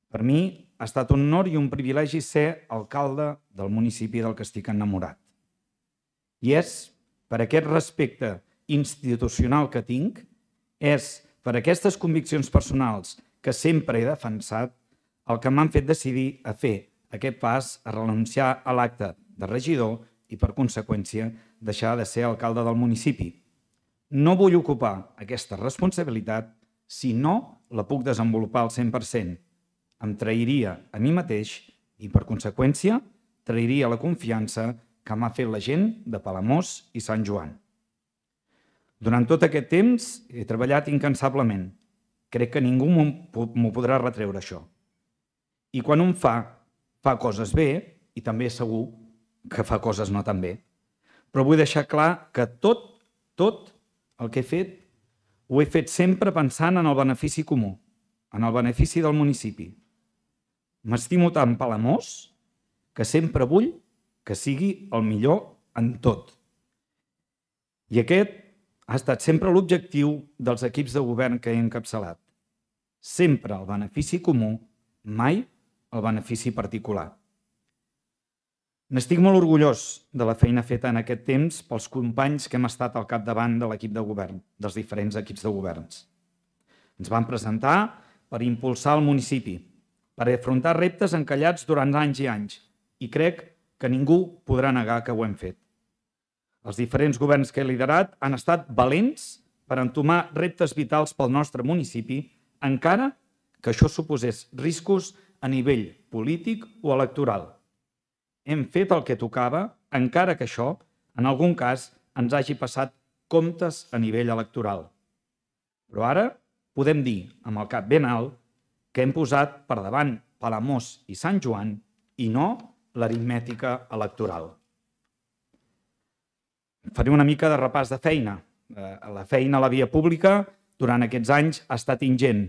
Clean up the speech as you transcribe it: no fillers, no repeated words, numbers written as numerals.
Per mi ha estat un honor i un privilegi ser alcalde del municipi del que estic enamorat. I és per aquest respecte institucional que tinc, és per aquestes conviccions personals que sempre he defensat el que m'han fet decidir a fer aquest pas a renunciar a l'acte de regidor i, per conseqüència, deixar de ser alcalde del municipi. No vull ocupar aquesta responsabilitat si no la puc desenvolupar al 100%. Em trairia a mi mateix i, per conseqüència, trairia la confiança que m'ha fet la gent de Palamós i Sant Joan. Durant tot aquest temps he treballat incansablement. Crec que ningú m'ho podrà retreure, això. I quan un fa coses bé, i també segur que fa coses no tan bé. Però vull deixar clar que tot el que he fet, ho he fet sempre pensant en el benefici comú, en el benefici del municipi. M'estimo tant Palamós que sempre vull que sigui el millor en tot. I aquest ha estat sempre l'objectiu dels equips de govern que he encapçalat. Sempre el benefici comú, mai el benefici particular. N'estic molt orgullós de la feina feta en aquest temps pels companys que hem estat al capdavant de l'equip de govern, dels diferents equips de governs. Ens vam presentar per impulsar el municipi, per afrontar reptes encallats durant anys i anys, i crec que ningú podrà negar que ho hem fet. Els diferents governs que he liderat han estat valents per entomar reptes vitals pel nostre municipi, encara que això suposés riscos a nivell polític o electoral. Hem fet el que tocava, encara que això, en algun cas, ens hagi passat comptes a nivell electoral. Però ara podem dir, amb el cap ben alt, que hem posat per davant Palamós i Sant Joan i no l'aritmètica electoral. Faré una mica de repàs de feina. La feina a la via pública durant aquests anys ha estat ingent.